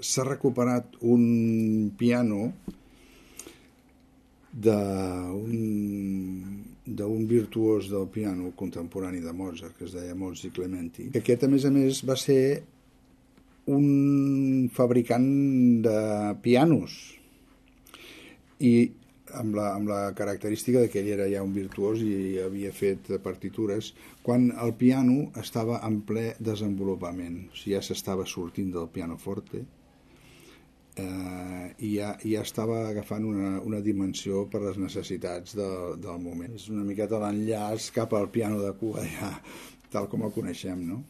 s'ha recuperat un piano d'un virtuós del piano contemporani de Mozart, que es deia Mozzi Clementi, que aquest, a més, va ser un fabricant de pianos i amb la característica de que ell era ja un virtuós i havia fet partitures quan el piano estava en ple desenvolupament, o sigui, ja s'estava sortint del pianoforte i ja estava agafant una dimensió per les necessitats del moment. És una miqueta l'enllaç cap al piano de cua, ja, tal com el coneixem, no?